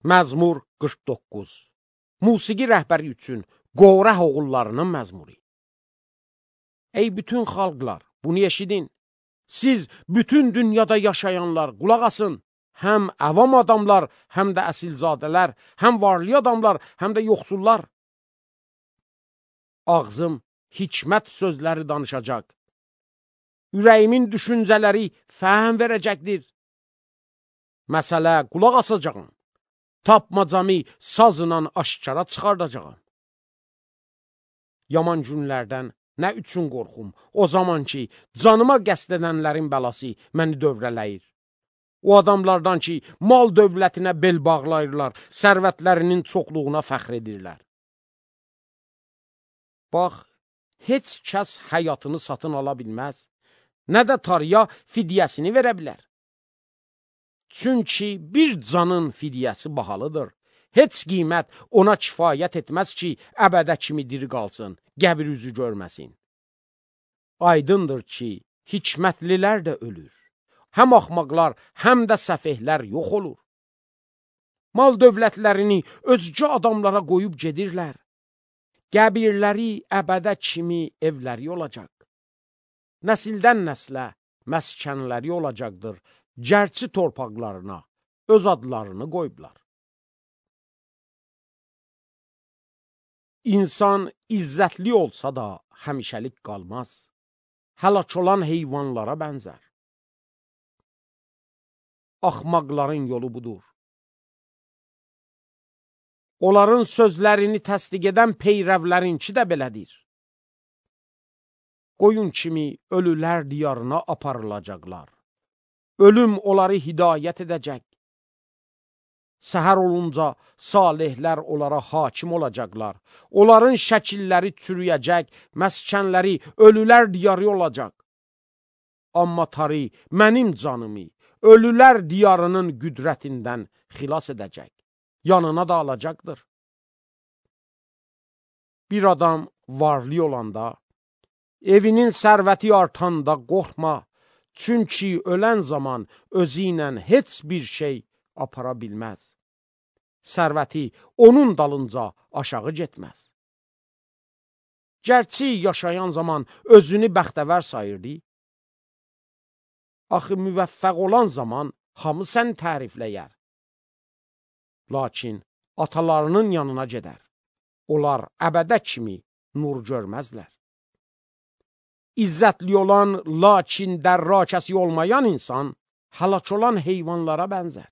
Məzmur 49. Musiqi rəhbəri üçün Qorah oğullarının məzmuru. Ey bütün xalqlar, bunu eşidin. Siz bütün dünyada yaşayanlar qulaq asın. Həm əvam adamlar, həm də əsilzadələr, həm varlı adamlar, həm də yoxsullar. Ağzım hikmət sözləri danışacaq. Ürəyimin düşüncələri fəhm verəcəkdir. Məsələ qulaq asacağım. Tapmacamı sazla aşkara çıxardacağım. Yaman günlərdən nə üçün qorxum? O zaman ki, canıma qəsd edənlərin bəlası məni dövrələyir. O adamlardan ki, mal dövlətinə bel bağlayırlar, sərvətlərinin çoxluğuna fəxr edirlər. Bax, heç kəs həyatını satın ala bilməz, nə də tarıya fidyəsini verə bilər. Çünki bir canın fidyəsi bahalıdır. Heç qiymət ona kifayət etməz ki, əbədə kimi diri qalsın, qəbir üzü görməsin. Aydındır ki, hikmətlilər də ölür. Həm axmaqlar, həm də səfehlər yox olur. Mal dövlətlərini özgə adamlara qoyub gedirlər. Qəbirləri əbədə kimi evləri olacaq. Nəsildən nəslə məskənləri olacaqdır. Gərçi torpaqlarına öz adlarını qoyublar. İnsan izzətli olsa da həmişəlik qalmaz. Həlak olan heyvanlara bənzər. Axmaqların yolu budur. Onların sözlərini təsdiq edən peyrəvlərinki də belədir. Qoyun kimi ölülər diyarına aparılacaqlar. Ölüm onları hidayət edəcək. Səhər olunca salihlər onlara hakim olacaqlar. Onların şəkilləri çürüyəcək, məskənləri ölülər diyarı olacaq. Amma tarı mənim canımı ölülər diyarının qüdrətindən xilas edəcək. Yanına da alacaqdır. Bir adam varlı olanda, evinin sərvəti artanda qorxma. Çünki ölən zaman özü ilə heç bir şey apara bilməz. Sərvəti onun dalınca aşağı getməz. Gərçi yaşayan zaman özünü bəxtəvər sayırdı. Axı müvəffəq olan zaman hamı səni tərifləyər. Lakin atalarının yanına gedər. Onlar əbədə kimi nur görməzlər. İzzətli olan, lakin dərrakəsi olmayan insan həlak olan heyvanlara bənzər.